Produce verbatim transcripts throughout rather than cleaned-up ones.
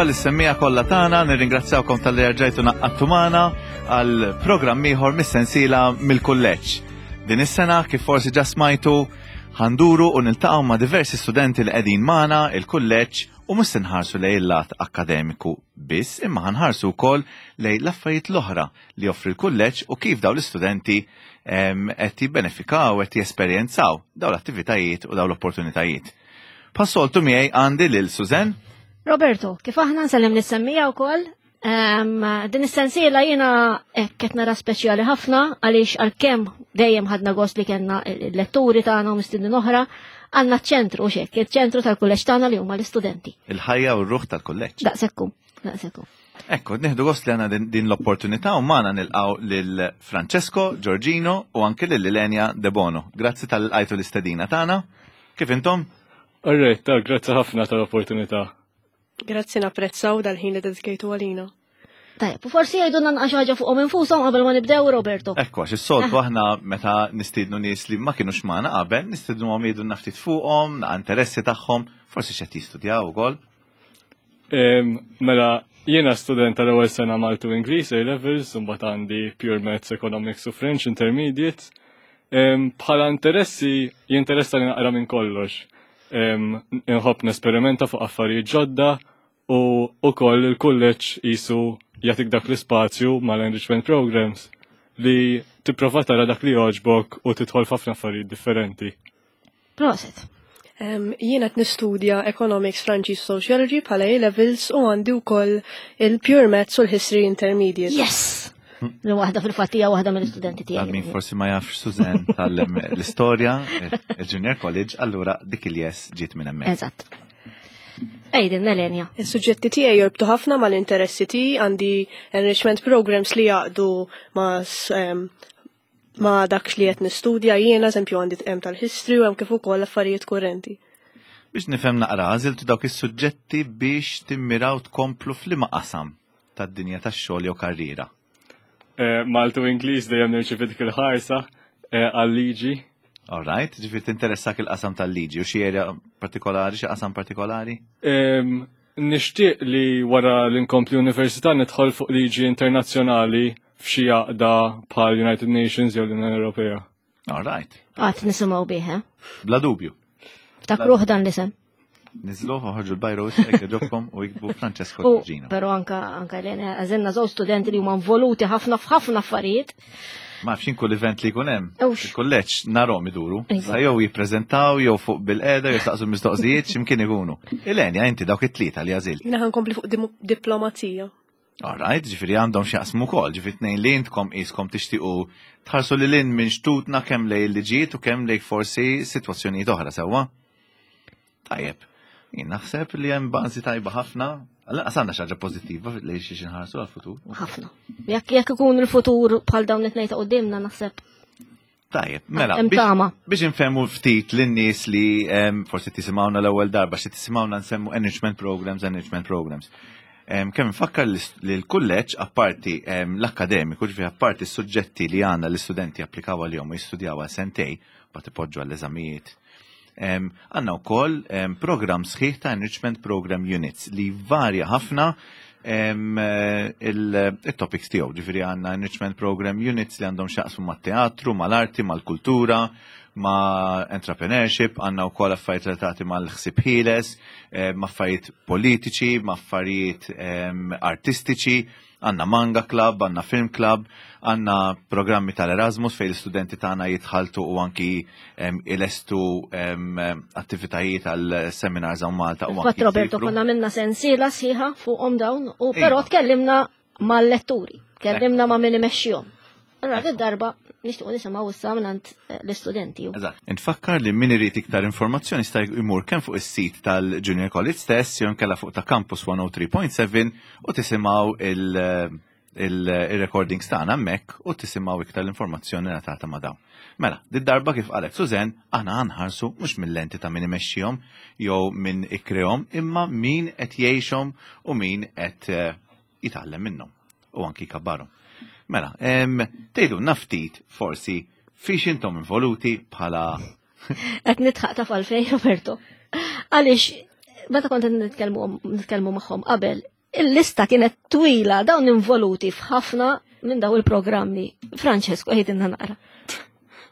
Lis-semmiegħa kollha tagħna, nirringrazzjawkom talli rġajtu ngħaqadtu magħna għal programm ieħor mis-sensiela mill-kulleġġ. Din is-sena, kif forsi ġa smajtu, ħa nduru u niltaqgħu ma' diversi studenti li qegħdin magħna il-kulleġġ u mhux se nħarsu lejn il-lat akkademiku biss, imma ħa nħarsu wkoll lejn l-affarijiet l-oħra li joffri l-kulleġġ u kif dawn l-istudenti em, qed jibbenefikaw, qed jesperjenzaw dawn l-attivitajiet u dawn l-opportunitajiet. Bħas-soltu miegħi għandi lil Suzen. Roberto, kif aħna nsellem lis-semmiegħa wkoll, em, din is-sensiela jiena hekk qed nara speċjali ħafna għaliex għalkemm dejjem ħadna gost li kellna il-letturi tagħna u mistednin oħra, għandna ċ-ċentru xek, il-ċentru tal-kulleġġ tagħna li huma l-istudenti. Il-ħajja u r-ruħ tal-kulleġġ. Daqsekku, daqsekku. Ekku, nieħdu gost li għandna din, din l-opportunità u magħna nilqgħu lil Francesco, Giorgino u anke lil Ilenia De Bono. Grazzi talli lqajtu l-istedina tagħna. Kif intom? Alright, ta' grazzi ħafna tal-opportunità. Grazzi, napprezzaw dal-ħin li dedikejtu għalina. Tajjeb, u forsi jgħidu naqra xi ħaġa fuqhom infushom qabel ma nibdew, Roberto. Ekku, għax is-soltu aħna meta nistiednu nies li ma kienux magħna qabel, nistiednu għom jgħidu ftit fuqhom, naqa interessi tagħhom, forsi x'qed jistudjaw ukoll. Em, Mela, jiena student tal-ewwel sena Malti u Ingliż A Levels, u mbagħad għandi Pure Maths, Economics u French Intermediate. Em, Bħala interessi, jinteressa li naqra minn kollox. Em, Inħobb nesperimenta fuq affarijiet ġodda u ukoll il-kulleġġ jisu jagħtik dak l-ispazju mal-enrichment programs li tipprova tara dak li jogħġbok u tidħol f'ħafna affarijiet differenti. Prosit. Um, jiena qed nistudja Economics, Franċiż, Sociology bħala A-Levels u għandi wkoll il-Pure Maths u l-History Intermediate. Yes! Li waħda fil-fatt hija waħda mill-istudenti Għal min tiegħi. forsi ma jafx, Suzen tgħallem l-istorja, il-Junior College, allura dik il-yes ġiet minn hemmhekk. Eżatt. Għidilna, Lenja. Is-suġġetti tiegħi jorbtu ħafna mal-interessi tiegħi, għandi enrichment programs li jaqdu ma' s- em, ma' dak li qed nistudja jiena, eżempju għandi hemm tal-history u hemm kif ukoll affarijiet kurrenti. Biex nifhem naqra, għażiltu dawk is-suġġetti biex timmiraw tkomplu f'liema qasam tad-dinja tax-xogħol jew karriera? Eh, Malti u Ingliż dejjem nirċivi dik il-ħarsa eh, għal-liġi. All right, ġifieri tinteressak il-qasam tal-liġi u xi area partikolari, xi qasam partikolari? Em, Nixtieq li wara li nkompli università nidħol fuq liġi internazzjonali f'xi għaqda bħal United Nations jew l-Unjoni Ewropea. All right, Għad nisimgħu bih, eh? Bla dubju. Ftakruh dan l-isem. Niżżluh, oħorġu l-biro jekk jogħġobkom u iktbu Francesco U, Giorgino. pero anka anka Elena, għażilna żewġ studenti li huma involuti ħafna f'ħafna affarijiet. Ma nafx kull event li jkun hemm. Ewx. Il-kulleġġ narahom iduru. Iva. Sa jew jippreżentaw jew fuq bil-qeda jew staqsu mistoqsijiet x'imkien ikunu. Ilenia, inti dawk it-tlieta li għażilt? Jiena ħa nkompli fuq dim- diplomazija. All right, ġifieri għandhom x'jaqsmu wkoll, ġifieri tnejn li intkom qiskom tixtiequ tħarsu lil hinn minn xtutna kemm lejn il-liġijiet u kemm lejn forsi sitwazzjonijiet oħra sewwa. Tajjeb. Jien naħseb li hemm bażi tajba ħafna. Għalla għandna xi ħaġa pożittiva li xi nħarsu għal-futur. Ħafna. Jekk jekk ikun il-futur bħal dawn it-tnejn ta' qudiemna, naħseb. Tajjeb, mela, Hemm biex, tama. biex nfehmu ftit lin-nies li em, forsi tisimgħuna l-ewwel darba, xi tisimgħuna nsemmu enrichment programs, enrichment programs. Em, Kemm nfakkar li li l-kulleġġ apparti em, l-akkademiku, ġifieri apparti s-suġġetti li għandna l-istudenti applikaw għalihom u jistudjaw għal sentejn, bat ipoġġu għall-eżamijiet. Em, Għandna wkoll em, program sħiħ ta' enrichment program units li varja ħafna em, eh, il- il-topics tiegħu. Ġifieri għandna enrichment program units li għandhom x'jaqsmu mat-teatru, mal-arti, mal-kultura, ma' entrepreneurship, għandna wkoll affarijiet relatati mal-ħsib ħieles, eh, ma' affarijiet politiċi, ma' affarijiet em, artistiċi, għandna manga club, għandna film club, għandna programmi tal-Erasmus fejn l-istudenti tagħna jitħaltu u anki em, ilestu em, attivitajiet għal seminars hawn Malta u Fatt anki Roberto jsifru. konna minna sensiela sħiħa fuqhom dawn u Iva. però tkellimna mal-letturi, tkellimna ma' min imexxihom. Allora din darba nixtiequ nisimgħu issa mingħand eh, l-istudenti. Eżatt. Nfakkar li min irid iktar informazzjoni jista' jmur kemm fuq is-sit tal-Junior College stess jew inkella fuq ta' Campus mija u tlieta punt seba' u tisimgħu il- il- il-recordings tagħna hemmhekk u tisimgħu iktar l-informazzjoni relatata ma' dawn. Mela, did-darba, kif qalet Suzen, aħna ħa nħarsu mhux mill-lenti ta' min imexxihom jew min ikkreahom, imma min qed jgħixhom u min qed eh, jitgħallem minnhom u anki jkabbarhom. Mela, em, tgħidu ftit forsi fiex intom involuti bħala Qed nidħaq ta' falfej, Roberto. Għaliex meta kont nitkellmu nitkellmu magħhom qabel, Il-lista kienet twila, dawn involuti f'ħafna minn daw il-programmi. Francesco, għidilna naqra.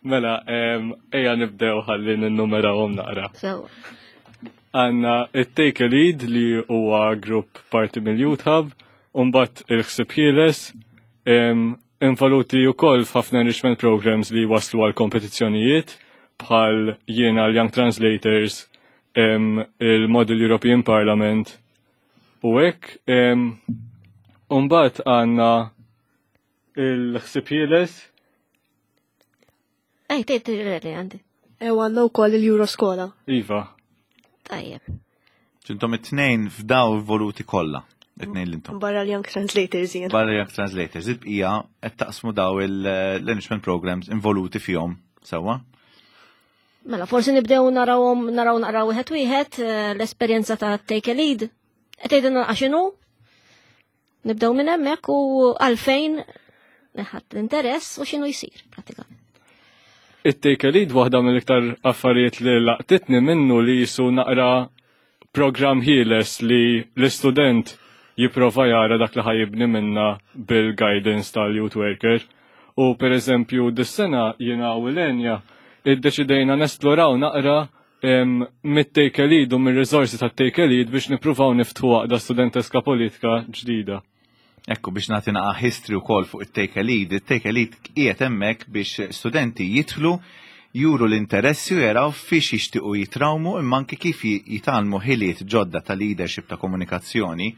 Mela, ejja nibdew ħalli ninnumerawhom naqra. Sewa. Għandna it-Take a Lead li huwa grupp parti mill-Youth Hub, u mbagħad il-ħsieb ħieles, involuti wkoll f'ħafna enrichment programs li waslu għal kompetizzjonijiet bħal jiena l-Young Translators, il-Model European Parliament u hekk. U mbagħad għandna il-ħsieb ħieles. Ej, tgħid li għandi. Ew għandna wkoll il-Euroskola. Iva. Tajjeb. Intom it-tnejn f'daw involuti kollha. It-tnejn li intom. Barra l-Young Translators jien. Barra Young Translators. Il-bqija qed taqsmu daw l-enrichment programs involuti fihom sewwa. Mela, forsi nibdew narawhom naraw naqraw wieħed wieħed eh, l-esperjenza ta' Take a Lead. Qed tgħidilna x'inhu? Nibdew minn hemmhekk u għalfejn ħadd l-interess u x'inhu jsir pratikament. It-Take a Lead, waħda mill-iktar affarijiet li laqtitni minnu li jisu naqra program ħieles li l-istudent jipprova jara dak li ħa jibni minna bil-guidance tal-youth worker. U per eżempju, dis-sena jiena u Lenja iddeċidejna nesploraw naqra mit-Take a Lead u mir-riżorsi tat-Take a Lead biex nippruvaw niftħu għaqda studenteska politika ġdida. Ekku, biex nagħti naqa history wkoll fuq it-Take a Lead. It-Take a Lead qiegħed hemmhekk biex studenti jidħlu, juru l-interessi u jaraw fiex jixtiequ jitrawmu, imma anke kif jitgħallmu ħiliet ġodda ta' leadership, ta' komunikazzjoni,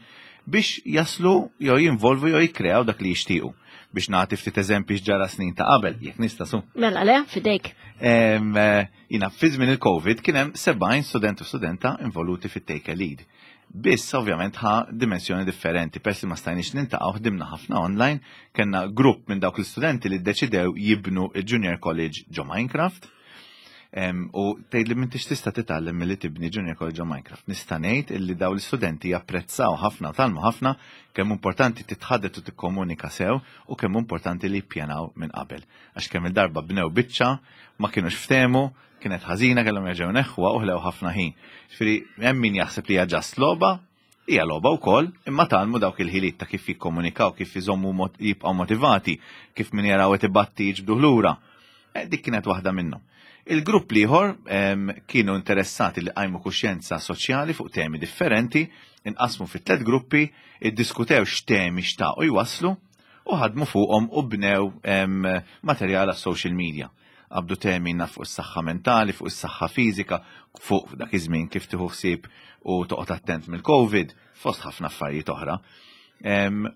biex jaslu jew jinvolvu jew jikkreaw dak li jixtiequ. Biex nagħti ftit eżempji x'ġara snin ta' qabel, jekk nista' su. Mela le, fidejk. Jiena fi żmien il-Covid kien hemm sebgħin student u studenta involuti fit-Take a Lead. Biss ovvjament ħa dimensjoni differenti, peress li ma stajniex niltaqgħu, ħdimna ħafna online, kellna grupp minn dawk l-istudenti li ddeċidew jibnu il-Junior College ġo Minecraft. U tgħid li m'intix tista' titgħallem milli tibni Junior College ġo Minecraft. Nista' ngħid illi daw l-istudenti japprezzaw ħafna, tgħallmu ħafna kemm importanti titħaddet u tikkomunika sew u kemm importanti li jippjanaw minn qabel. Għax kemm il-darba bnew biċċa, ma kienux ftehmu, kienet ħażina, kellhom jerġgħu neħħuha u ħlew ħafna ħin. Ġifieri hemm min jaħseb li hija just logħba, hija logħba wkoll, imma tgħallmu dawk il-ħiliet ta' kif jikkomunikaw, kif iżommu jibqgħu motivati, kif min jaraw qed ibatti jiġbduh lura. Eh, dik kienet waħda minnhom. Il-grupp l-ieħor kienu interessati li qajmu kuxjenza soċjali fuq temi differenti, inqasmu fit tliet gruppi, iddiskutew x'temi xtaqu jwasslu u ħadmu fuqhom u bnew materjal għas-social media. Qabdu temi fuq is-saħħa mentali, fuq is-saħħa fiżika, fuq dak iż-żmien kif tieħu ħsieb u toqgħod attent mill-Covid, fost ħafna affarijiet oħra.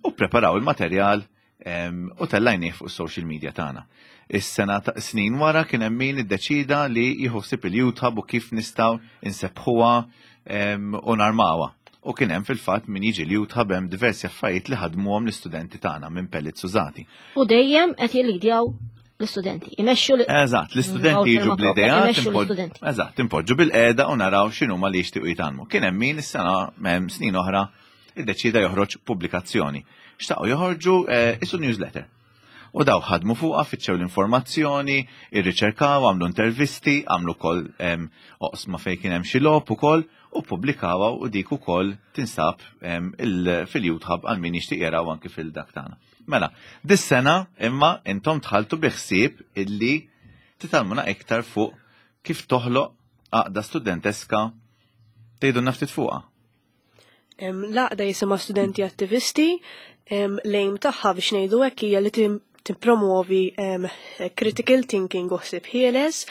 U preparaw il-materjal u tellajnieh fuq is-social media tagħna. Is-sena ta' snin wara kien hemm min iddeċida li jieħu ħsieb il-Youth Hub u kif nistgħu insebbħuha u narmawha. U kien hemm fil-fatt min jiġi l-Youth Hub, hemm diversi affarijiet li ħadmuhom l-istudenti tagħna minn pellets użati. U dejjem qed jillidjaw l-istudenti. Imexxu l- Eżatt, l-istudenti jiġu bl-idea. Eżatt, impoġġu bilqiegħda u naraw x'inhuma li jixtiequ jitgħallmu. Kien hemm min is-sena hemm snin oħra iddeċida joħroġ pubblikazzjoni. Xtaqu joħorġu eh, isu newsletter. U daw ħadmu fuqha, fittxew l-informazzjoni, irriċerkaw, għamlu intervisti, għamlu kol oqsma fejn kien hemm xi logħob ukoll u pubblikawha u dik ukoll tinsab fil-Youth Hub għal min jixtieq jaraw anki fil-dak tagħna. Mela, dis-sena imma intom dħaltu bi ħsieb illi titgħallmuna iktar fuq kif toħloq għaqda studenteska. Tgħidu ftit fuqha. L-għaqda jisimha Studenti Attivisti, l-aim tagħha, biex ngħidu hekk, hija li tippromuovi critical thinking u ħsieb ħieles,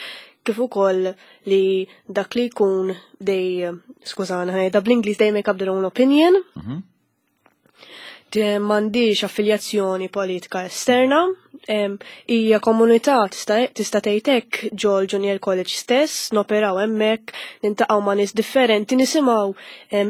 kif ukoll li dak li jkun dej, skużana, da bl-Ingliż, they make up their own opinion. Mhm. M'għandix affiljazzjoni politika esterna, hija komunità, tista' tgħid hekk, ġol Junior College stess, noperaw hemmhekk, niltaqgħu ma' nies differenti, nisimgħu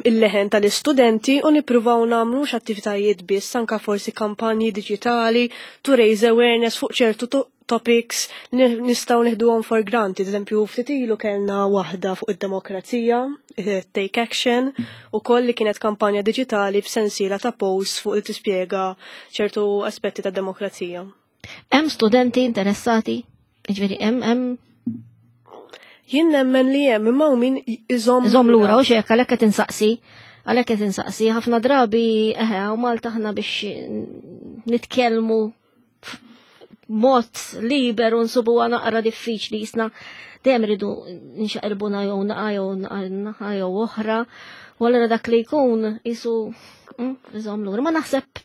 il-leħen tal-istudenti u nippruvaw nagħmlu attivitajiet biss, anka forsi kampanji diġitali to raise awareness fuq ċertu topics li nistgħu nieħduhom for granted. Eżempju, ftit ilu kellna waħda fuq id-demokrazija, eh, Take Action, u koll li kienet kampanja diġitali b'sensiela ta' posts fuq li tispjega ċertu aspetti ta' demokrazija. Hemm studenti interessati? Ġifieri hemm hemm Jien nemmen li hemm, imma min iżomm Iżomm lura u xejn, għalhekk qed insaqsi. Għalhekk qed insaqsi ħafna drabi eħe u Malta aħna biex nitkellmu mod liberu nsubuha naqra diffiċli jisna dejjem ridu nxaqilbuna jew naqa jew naqa jew oħra u allura dak li jkun jisu mm, iżomm lura. Ma naħseb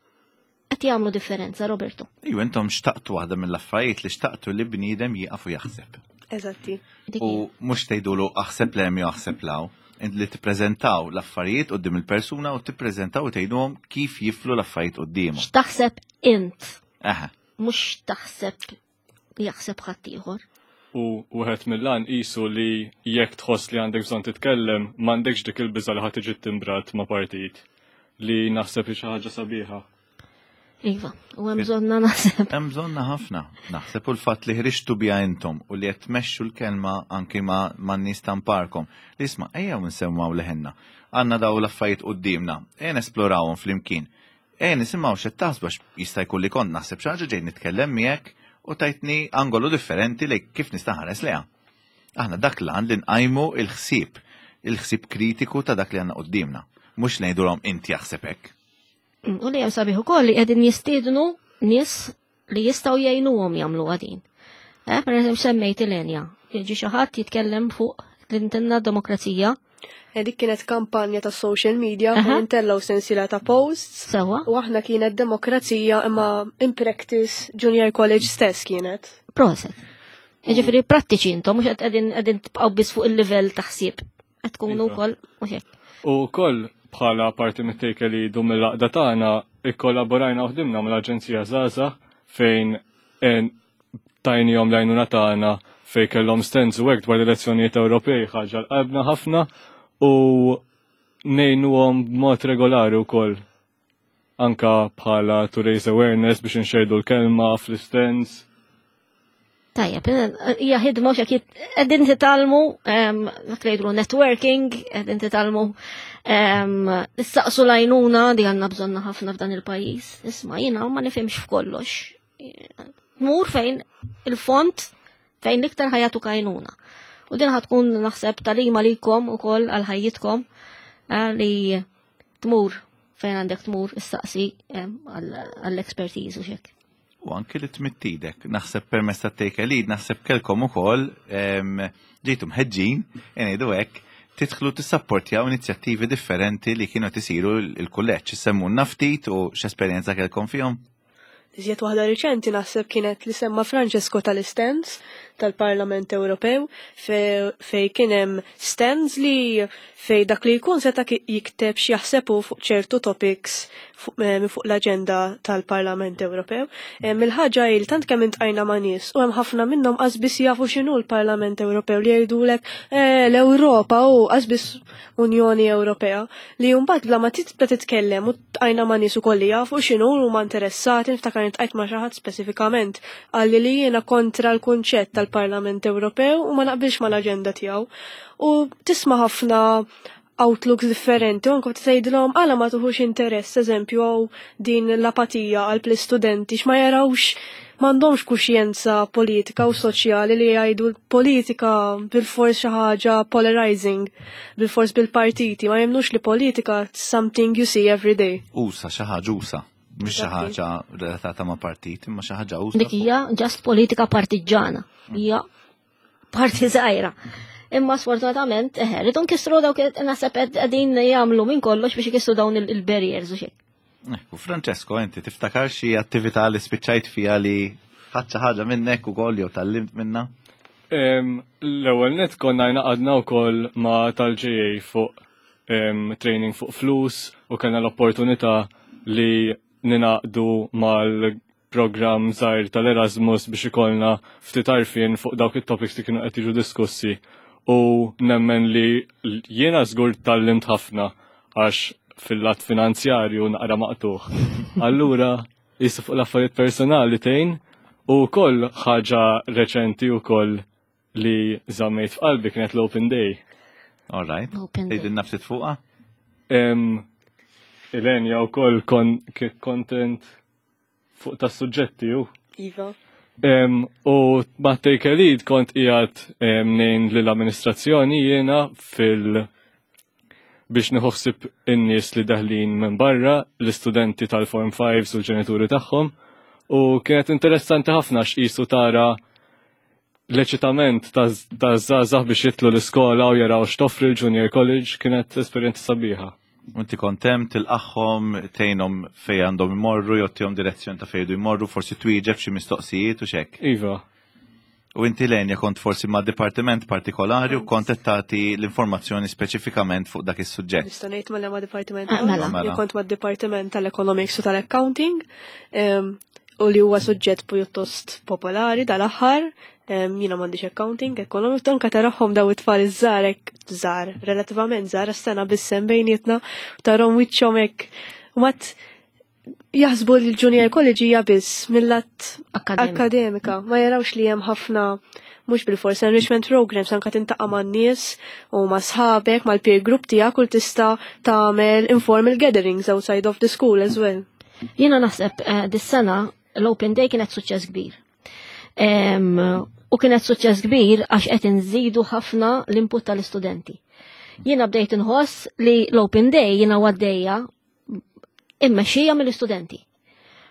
qed jagħmlu differenza, Roberto. Iju, intom xtaqtu waħda mill-affarijiet li xtaqtu li bniedem jieqaf u jaħseb. Eżatti. Dik U mhux tgħidulu aħseb 'l hemm jew aħseb 'l hawn. Int li tippreżentaw l-affarijiet quddiem il-persuna u tippreżentaw u tgħidulhom kif jiflu l-affarijiet quddiemhom. X'taħseb int, Eħe. mhux taħseb jaħseb ħaddieħor. U wieħed mill-għan qisu li jekk tħoss li għandek bżonn titkellem, m'għandekx dik il-biża li ħadd tiġi timbrat ma' partit li naħseb li xi ħaġa sabiħa. Iva, u hemm bżonna naħseb. Hemm bżonna ħafna. Naħseb u l-fatt li ħriġtu biha intom u li qed tmexxu l-kelma anki ma' man-nies tamparkom. Li isma' ejjew nsemmgħu leħenna. Għandna daw l-affarijiet quddiemna, ejja nesplorawhom flimkien. Ejja nisimgħu x'qed taħsbu għax jista' jkun li kont naħseb xi ħaġa ġej nitkellem miegħek u tajtni angolu differenti li kif nista' nħares leha. Aħna dak l-għan li nqajmu il-ħsieb, il-ħsieb kritiku ta' dak li għandna quddiemna. Mhux ngħidulhom inti jaħseb hekk. U li hemm sabiħ ukoll li qegħdin jistiednu nies li jistgħu jgħinuhom jagħmlu għadin. Eh, per eżempju semmejt il-Enja. Jiġi xi ħadd jitkellem fuq l-intenna demokrazija. Eh, Dik kienet kampanja ta' social media Aha. fejn intellaw sensiela ta' posts Sewwa, u aħna kienet demokrazija imma in practice junior college stess kienet. proset. Jiġifieri prattiċi intom, mhux qed qegħdin qegħdin tibqgħu biss fuq il-livell ta' ħsieb. Qed tkunu Iva. wkoll mhux hekk. U wkoll bħala parti mit-take li jdu mill-għaqda tagħna ikkollaborajna u ħdimna mal-Aġenzija Żgħażagħ fejn en- tajnihom l-għajnuna tagħna fejn kellhom stands u hekk dwar l-elezzjonijiet Ewropej ħaġa l-qalbna ħafna u ngħinuhom b'mod regolari wkoll anka bħala to raise awareness biex inxerdu l-kelma fl-stands. Tajjeb, hija ħidma u x'akit qegħdin titgħallmu em, dak li jgħidu networking, qegħdin titgħallmu em, issaqsu l-għajnuna di għandna bżonna ħafna f'dan il-pajjiż. Isma' jiena ma nifhimx f'kollox. Mur fejn il-font fejn l-iktar ħajatu għajnuna. U din ħatkun naħseb tagħlima likom ukoll għal ħajjitkom eh, li tmur fejn għandek tmur issaqsi em, għall-expertise u xek. U anki li tmittidek, naħseb permezz ta' take a lead, naħseb kelkom ukoll em, ġejtu mħeġġin, ngħidu hekk, tidħlu tissapportjaw inizjattivi differenti li kienu tisiru il-kulleġġ, semmulna ftit u x'esperjenza kelkom fihom. Iżjed waħda riċenti naħseb kienet li semma Francesco tal-stands tal-Parlament Ewropew fej fej kien hemm stands li fej dak li jkun seta' ki- jikteb x'jaħsebu fuq ċertu topics fuq eh, minn fuq l-aġenda tal-Parlament Ewropew. Em, Il-ħaġa hi li tant kemm intqajna ma' nies u hemm ħafna minnhom qas biss jafu x'inhu l-Parlament Ewropew li jgħidulek eh, l-Ewropa u qas biss Unjoni Ewropea li mbagħad bla ma tibda titkellem u tqajna ma' nies ukoll li jafu x'inhu huma interessati niftakar intqajt ma' xi ħadd speċifikament qalli li jiena kontra l-kunċett tal-Parlament Ewropew u ma naqbilx mal-aġenda tiegħu. U tisma' ħafna outlooks differenti, u anke tgħidilhom għala ma tuħux interess, eżempju, għaw din l-apatija għal l-istudenti x'ma jarawx m'għandhomx kuxjenza politika u soċjali li jgħidu l-politika bil-fors xi ħaġa polarizing, bil-fors bil-partiti, ma jemnux li politika something you see every day. Usa, xi ħaġa usa, mhux xi Eżatti. ħaġa relatata ma' partit, imma xi ħaġa usa. Dik hija just politika partiġġana. Hija parti żgħira. Imma sfortunatament, eħe, rridu nkissru dawk naħseb qegħdin jagħmlu minn kollox biex ikissru dawn il- il-barriers u xejn. Ekku, Francesco, inti tiftakar xi attività li spiċċajt fiha li ħadt xi ħaġa minnek ukoll jew tgħallimt minna? Em, L-ewwel net konna ngħaqadna wkoll ma' tal-J A fuq em, training fuq flus u kellna l-opportunità li ninaqdu mal-programm żgħir tal-Erasmus biex ikollna ftit għarfien fuq dawk it-topics li kienu qed jiġu diskussi u nemmen li jiena żgur tgħallimt ħafna għax fil-lat finanzjarju naqra maqtuħ. Allura, jissu fuq l-affarijiet personali tgħin u koll ħaġa reċenti u koll li żammejt f'qalbi kienet l-Open Day. All right. Open Day. Tgħidilna ftit fuqha? Em, Ilenja u koll kon, content fuq tas suġġetti u. Iva. Em, u ma' Take a Lead kont qiegħed em, ngħin lill-amministrazzjoni jiena fil biex nieħu ħsieb in-nies li daħlin minn barra, l-istudenti tal-Form fives u l-ġenituri tagħhom. U kienet interessanti ħafna x'isu tara l-eċitament ta' żgħażagħ biex jidħlu l-iskola u jaraw x'toffri l-Junior College, kienet esperjenza sabiħa. Inti kont hemm tilqagħhom, tgħinhom fejn għandhom imorru, tagħtihom direzzjoni ta' fejn jmorru, forsi twieġeb xi mistoqsijiet u xek. Iva. U inti, Lenja, kont forsi ma' dipartiment partikolari u kont qed tagħti l-informazzjoni speċifikament fuq dak is-suġġett. Nista' ngħid ma' ma' dipartiment. Ah, mela. Mela. Jien kont ma' dipartiment tal-Economics u tal-Accounting em, u li huwa suġġett pjuttost popolari dal-aħħar. em, Jiena m'għandix accounting, economics, anka tarahom daw it-tfal iż-żgħar hekk żgħar, relattivament żgħar, sena biss bejnietna, tarahom wiċċhom hekk. U mat jaħsbu li l-Junior College hija biss mill-lat Akademika. akademika, ma jarawx li hemm ħafna, mhux bil-fors enrichment programs, anka tiltaqa' man-nies u ma' sħabek, mal-peer group tiegħek, u tista' tagħmel informal gatherings outside of the school as well. Jiena naħseb eh, dis-sena l-Open Day kienet suċċess kbir. Em, U kienet suċċess kbir għax qed inżidu ħafna l-input tal-istudenti. Jiena bdejt inħoss li l-Open Day jiena għaddejja immexxija mill-istudenti.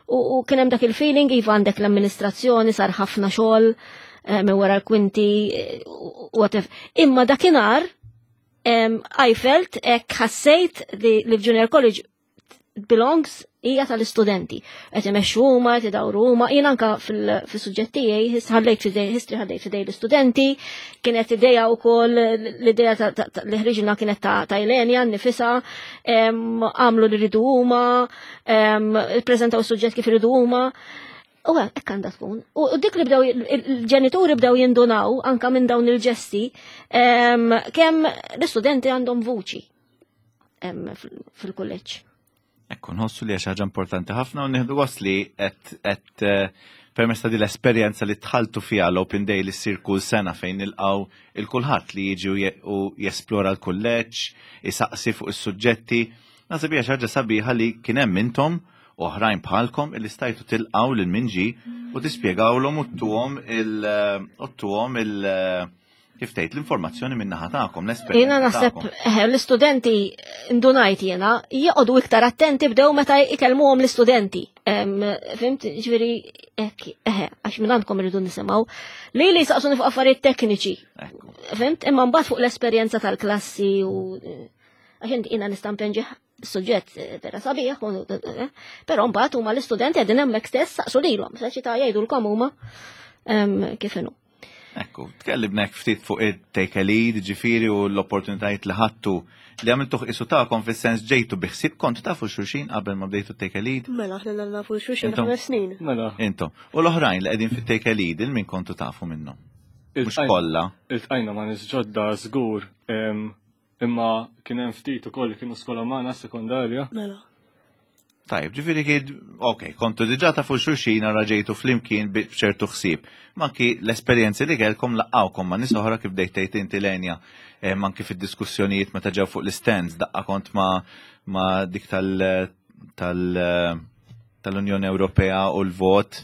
U, u kien hemm dak il-feeling, iva, għandek l-amministrazzjoni, sar ħafna xogħol eh, minn wara l-kwinti, eh, u whatever. Imma dakinhar em, I felt, hekk ħassejt li li l-Junior College belongs, hija tal-istudenti. Qed imexxu huma, qed idawru huma, jien anka fil-suġġett tiegħi ħallejt fidej history, ħallejt fidej l-istudenti, kienet idea wkoll, l-idea ta- ta- ta- li ħriġna kienet ta' ta' Ilenia nifisha, em, għamlu li ridu huma, em, ippreżentaw is-suġġett kif iridu huma. U hekk għandha tkun. U u dik li bdew il-ġenituri bdew jindunaw anka minn dawn il-ġesti em, kemm l-istudenti għandhom vuċi em, fil- fil-kulleġġ. Ekku, nħossu li ħaġa importanti ħafna u nieħdu gost li qed qed eh, permezz ta' di l-esperjenza li dħaltu fiha, l-Open Day li ssir kull sena fejn nilqgħu lil kulħadd li jiġi u je- u jesplora l-kulleġġ, isaqsi fuq is-suġġetti. Naħseb hija xi ħaġa sabiħa li kien hemm intom u oħrajn bħalkom illi stajtu tilqgħu lil min ġie u tispjegawlhom u ttuhom il u ttuhom il kif tgħid l-informazzjoni minn naħa tagħkom, l-esperjenza Jiena naħseb tagħkom. eh, l-istudenti, ndunajt jiena, joqogħdu iktar attenti bdew meta ikellmuhom l-istudenti. Em, Fhimt, ġifieri hekk, eħe, għax minn għandkom irridu nisimgħu. Li li saqsuni fuq affarijiet tekniċi. Ekku. Fhimt, imma mbagħad fuq l-esperjenza tal-klassi u għax inti jiena nista' npenġi suġġett eh, vera sabiħ, u- eh, però mbagħad huma l-istudenti qegħdin hemmhekk stess, saqsu lilhom, saċi ta' jgħidulkom huma em, kif inhu. Ekku, tkellimna hekk ftit fuq it-take a lead, ġifieri, u l-opportunitajiet li ħadtu, li għamiltu qisu tagħkom, fis-sens ġejtu bi ħsieb, kontu tafu xulxin qabel ma bdejtu take a lead? Mela, aħna nafu xulxin Intom? ħames snin. Mela. Intom. U l-oħrajn li qegħdin fit-take a lead, il min kontu tafu minnhom? Mhux Iltqajna- kollha. Iltqajna ma' nies ġodda żgur, em, imma kien hemm ftit ukoll li kienu skola magħna sekondarja. Mela. Tajb, ġifieri kien, ok, kontu diġà tafu xulxin, ara ġejtu flimkien bi- b'ċertu ħsieb. Ma anki l-esperjenzi li kellkom laqqgħukom ma' nies oħra, kif bdejt tgħid inti, Lenja, eh, ma anki fid-diskussjonijiet meta ġew fuq l-stands, daqqa kont ma, ma dik tal, tal, tal-Unjoni Ewropea u l-vot,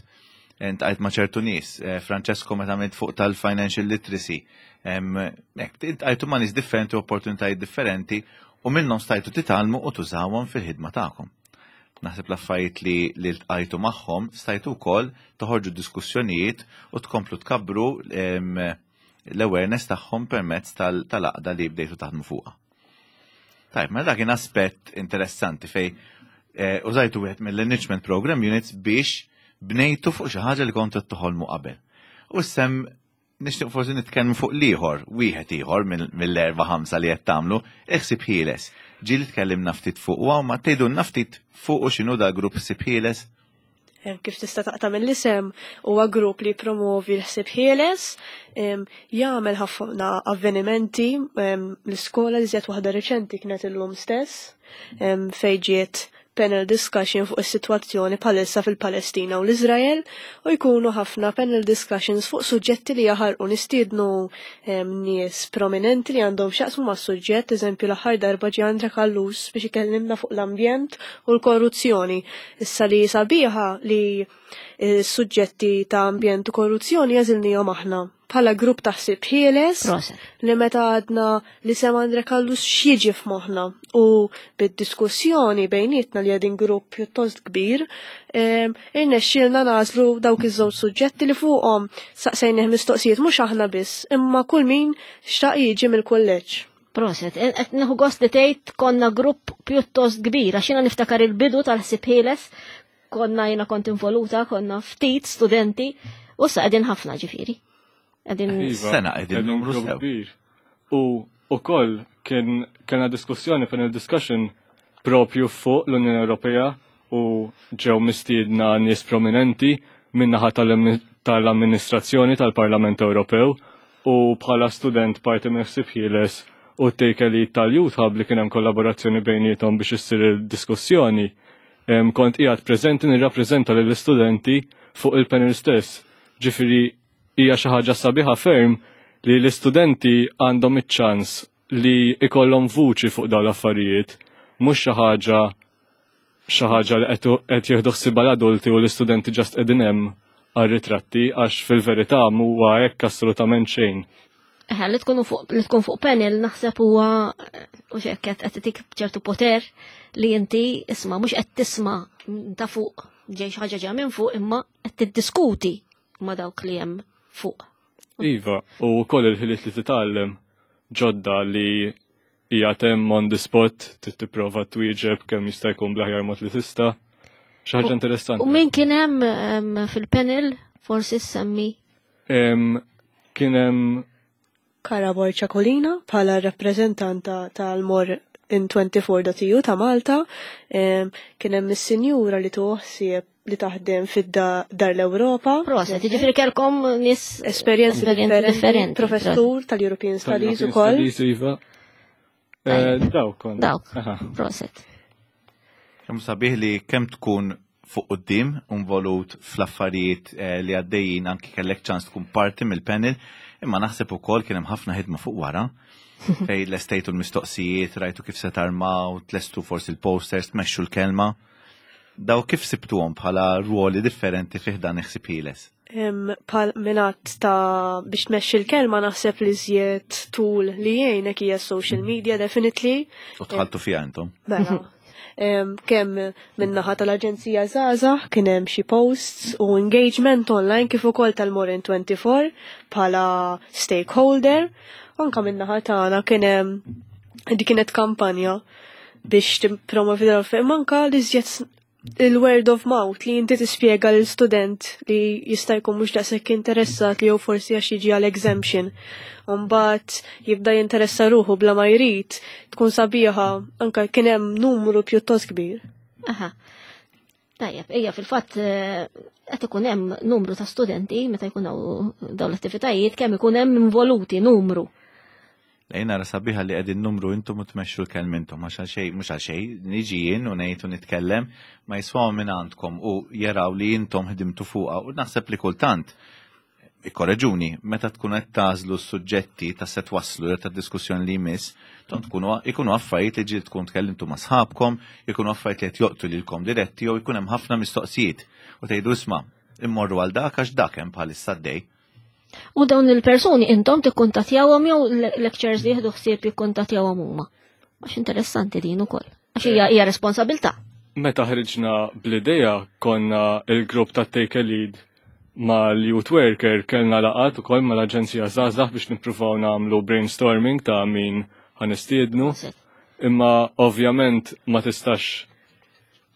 iltqajt ma' ċertu nies. Eh, Francesco meta għamilt fuq tal-financial literacy. Em, Hekk, iltqajtu ma' nies differenti, opportunitajiet differenti, u minnhom stajtu titgħallmu u tużawhom fil-ħidma tagħkom. Naħseb l-affarijiet li li ltqajtu magħhom stajtu wkoll toħorġu diskussjonijiet u tkomplu tkabbru em, l-awareness tagħhom permezz tal- tal-għaqda li bdejtu taħdmu fuqha. Tajb, ma dak kien aspett interessanti fej eh, użajtu wieħed mill-enrichment program units biex bnejtu fuq xi ħaġa li kontu toħolmu qabel. U issa nixtieq forsi nitkellmu fuq l-ieħor, wieħed ieħor mill- mill-erba' ħamsa li qed tagħmlu, Ħsieb Ħieles. Ġieli tkellimna ftit fuq u ma tgħidulna ftit fuq u x'inhu da grupp Ħsieb Ħieles? Em, Kif tista' taqta' mill-isem, huwa grupp li promovi l-ħsieb ħieles, em, jagħmel ħafna avvenimenti em, l-iskola, li żjed waħda reċenti kienet illum stess, em, fejn ġiet panel discussion fuq is-sitwazzjoni bħalissa fil-Palestina u l-Iżrael, u jkunu ħafna panel discussions fuq suġġetti li jaħarqu, nistiednu em, nies prominenti li għandhom x'jaqsmu mas-suġġett, eżempju l-aħħar darba ġie Andre Callus biex ikellimna fuq l-ambjent u l-korruzzjoni. Issa li sabiħa li s-suġġetti ta' ambjent u korruzzjoni għażilnihom aħna. bħala grupp ta' ħsieb ħieles Proset. li meta għadna li sem Andre Callus x'jiġi f'moħħna u bid-diskussjoni bejnietna li għedin grupp pjuttost kbir, em, irnexxielna nagħżlu dawk iż-żewġ suġġetti li fuqhom saqsejnih mistoqsijiet mhux aħna biss, imma kull min xtaq jiġi mill-kulleġġ. Proset, qed nieħu gost li tgħid konna grupp pjuttost kbir, għax jiena niftakar il-bidu tal-ħsieb ħieles, konna jiena kont involuta, konna ftit studenti, u sa qegħdin ħafna ġifieri. Qegħdin Iva, Sena qegħdin numru grupp sew. kbir. U ukoll kien kellna diskussjoni, panel discussion propju fuq l-Unjoni Ewropea u ġew mistiedna nies prominenti min-naħa tal-ammi- tal-amministrazzjoni tal-Parlament Ewropew u bħala student parti minn ħsieb ħieles u Take a Lead tal-Youth Hub li kien hemm kollaborazzjoni bejniethom biex issir il-diskussjoni. Em, Kont qiegħed preżenti nirrappreżenta lill-istudenti fuq il-panel stess. Ġifieri hija xi ħaġa sabiħa ferm li l-istudenti għandhom iċ-ċans li ikollhom vuċi fuq dawn l-affarijiet, mhux xi ħaġa xi ħaġa li qed qed jieħdu ħsiebha l-adulti u l-istudenti just qegħdin hemm għar-ritratti għax fil-verità m'huwa hekk assolutament xejn. Eħe, li tkunu fuq li tkun fuq panel naħseb huwa u xek qed qed tik ċertu poter li inti isma' mhux qed tisma' ta' fuq ġej xi ħaġa ġej minn fuq imma qed tiddiskuti ma' dawk li hemm fuq. Iva, u wkoll il-ħiliet li titgħallem ġodda li hija hemm on the spot trid tipprova twieġeb kemm jista' jkun bl-aħjar mod li tista'. Xi ħaġa interessanti. U min kien hemm em, fil-panel forsi semmi Em, Kien hemm Kara Borċa Colina bħala rappreżentanta tal-More in twenty-four dot E U ta' Malta, em, kien hemm is-sinjura li tuħsieb li taħdem fid-Dar l-Ewropa. Proset, jiġifieri kellkom nies Esperjenzi esperjenzi differenti, professur tal-European Studies tal-European ukoll. Studies, iva. Eh, Dawk konna. Dawk. Aha. Proset. Kemm sabiħ li kemm tkun fuq quddiem involut fl-affarijiet eh, li għaddejjin, anki kellek ċans tkun parti mill-panel, imma naħseb ukoll kien hemm ħafna ħidma fuq wara fej lestejtu l-mistoqsijiet, rajtu kif se tarmaw, tlestu forsi l-posters, tmexxu l-kelma. Daw kif sibtuhom bħala ruoli differenti fih dan ħsieb ħieles? Em, Pal minat ta' biex tmexxi l-kelma, naħseb li żjed tool li jgħinek hija social media, definitely. U dħaltu fiha intom? Mela. Em, Kemm min-naħa tal-Aġenzija Żgħażagħ kien hemm xi posts u engagement online, kif ukoll tal-More in twenty-four bħala stakeholder. Anka min-naħa tagħna kien hemm di kienet kampanja biex tippromovi dal manka li żjed il-word of mouth li inti tispjega l student li jista' jkun mhux daqshekk interessat li jew forsi għax jiġi għal exemption. Mbagħad jibda jinteressa ruħu bla ma jrid, tkun sabiħa, anka kien hemm numru pjuttost kbir. Aha. Tajjeb, ejja, fil-fatt eh, qed ikun hemm numru ta' studenti meta jkun hawn dawn l-attivitajiet, kemm ikun hemm involuti numru. Lejna ra sabiħa li qegħdin numru intom u tmexxu l-kelm intom, għax għal xejn, mhux għal xejn, niġi jien u ngħid u nitkellem, ma jiswaw minn għandkom u jaraw li intom ħdimtu fuqha. U naħseb li kultant, ikkoreġuni, meta tkun qed tagħżlu s-suġġetti ta' se twasslu jew ta' diskussjoni li jmiss, ton tkunu ikunu affarijiet li ġieli tkun tkellimtu ma' sħabkom, ikunu affarijiet li qed joqtu lilkom diretti jew ikun hemm ħafna mistoqsijiet. U tgħidu, "Isma', immorru għal dak għax dak hemm bħalissa għaddej." U dawn il-persuni intom tikkuntattjawhom jew lectures li jieħdu ħsieb jikkuntattjawhom huma? Għax interessanti din ukoll. Għax hija hija responsabilità. Meta ħriġna bl-idea konna il-grupp ta' Take a Lead ma' l-youth worker, kellna laqgħat ukoll ma' l-Aġenzija Żgħażagħ biex nippruvaw nagħmlu brainstorming ta' min ħa nistiednu. Imma ovvjament ma tistax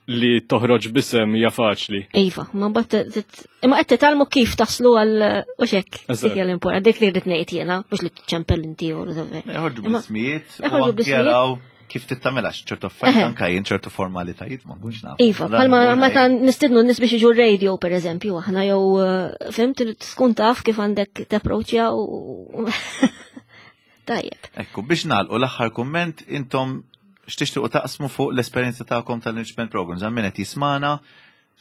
li toħroġ b'isem hija faċli. Iva, ma mbagħad imma qed titgħallmu kif taslu għal u xek. Eżatt. Dik hija l-importanti, dik li rrid ngħid jiena, mhux li tċempel inti u whatever. Joħorġu Imma- bl-ismijiet u Joħorġu anki bl-ismijiet. jaraw kif tittamela ċertu affarijiet, Eħe. anka jien ċertu formalitajiet ma nkunx naf. Iva, bħalma meta nistidnu n-nies biex jiġu radio, per eżempju, aħna jew eh, fimt, tkun taf kif għandek tapproċċja u tajjeb. Ekku, biex nagħlqu, l-aħħar kumment, intom x'tixtiequ taqsmu fuq l-esperjenza tagħkom tal-enrichment programs, għal min qed jismana,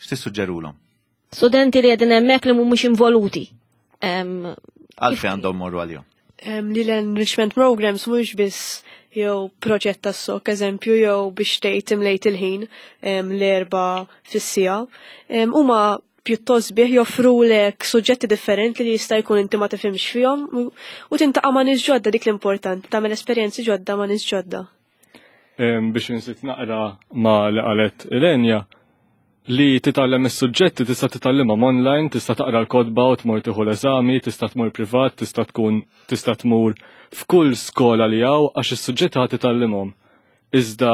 x'tissuġġerulhom? Studenti li qegħdin hemmhekk li mhumiex involuti. Em, Għalfejn għandhom morru għalihom? Em, Li l-enrichment programs mhux biss jew proġett tas-sok, eżempju, jew biex tgħid imlejt il-ħin em, l-erba fis-siegħa. Em, Huma pjuttost sbieħ, joffrulek suġġetti differenti li jista' jkun inti ma tifhimx fihom u tiltaqa' ma' nies ġodda, dik l-importanti, tagħmel esperjenzi ġodda ma' nies ġodda. Biex inżid naqra ma' li qalet Ilenja, li titgħallem is-suġġetti tista' titgħallimhom online, tista' taqra l-kotba u tmur tieħu l-eżami, tista' tmur privat, tista' tkun tista' tmur f'kull skola li hawn għax is-suġġetti ħa titgħallimhom. Iżda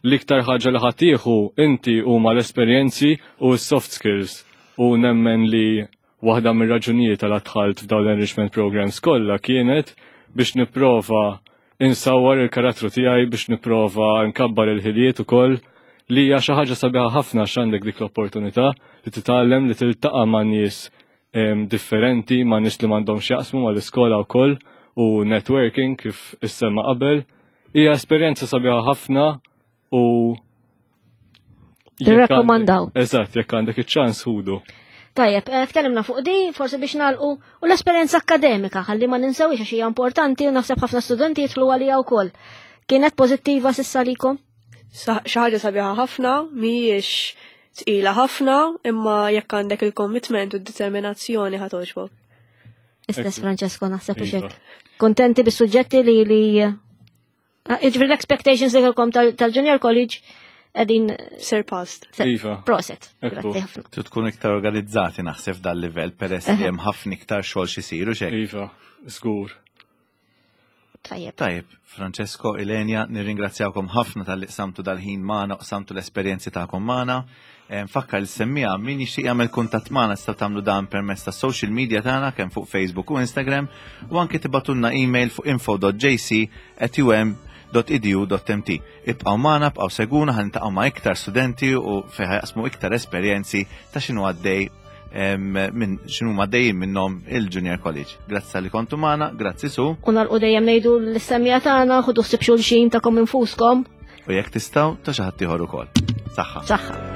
l-iktar ħaġa li ħa tieħu inti huma l-esperjenzi u s-soft skills, u nemmen li waħda mir-raġunijiet għal dħalt f'dawn l-enrichment programs kollha kienet biex nipprova insawwar il-karattru tiegħi, biex nipprova nkabbar il-ħiliet ukoll, li hija xi ħaġa sabiħa ħafna għax għandek dik l-opportunità li titgħallem, li tiltaqa' ma' nies differenti, ma' nies li m'għandhomx jaqsmu mal-iskola wkoll, u networking kif issemma qabel. Hija esperjenza sabiħa ħafna u Tirrakkomandaw. Eżatt, jekk għandek iċ-ċans ħudu. Tajjeb, eh, tkellimna fuq di, forsi biex nagħlqu u l-esperjenza akkademika, ħalli ma ninsewix għax hija importanti u naħseb ħafna studenti jidħlu għalija wkoll. Kienet pożittiva s'issa likom? Xi ħaġa sabiħa ħafna, mhijiex tqila ħafna, imma jekk għandek il-commitment u d-determinazzjoni ħa togħġbok. Istess Francesco, naħseb u xek. Kontenti bis-suġġetti li li ah, jiġifieri l-expectations li kellkom tal-Junior College qegħdin surpassed. Iva. Proset. Grazzi ħafna. Tu tkun iktar organizzati naħseb dal-livell peress li hemm ħafna iktar xogħol x'isiru xek. Iva, żgur. Tajjeb. Tajjeb, Francesco, Ilenia, nirringrazzjawkom ħafna talli qsamtu dal-ħin magħna, qsamtu l-esperjenzi tagħkom magħna. Nfakkar lis-semmiegħa, min jixtieq jagħmel kuntatt magħna tistgħu tagħmlu dan permezz ta' social media tagħna kemm fuq Facebook u Instagram, u anke tibagħtulna email fuq info dot J C at U M dot edu dot M T. Ibqgħu magħna, ibqgħu segwuna, ħa niltaqgħu ma' iktar studenti u fejn ħa jaqsmu iktar esperjenzi ta' x'inhu għaddej minn x'inhu għaddejjin minnhom il-Junior College. Grazzi li kontu magħna, grazzi Su. U nagħlqu dejjem ngħidu lis-semmiegħa tagħna, ħudu ħsieb xulxin tagħkom infuskom. U jekk tistgħu ta' xi ħadd ieħor ukoll. Saħħa. Saħħa.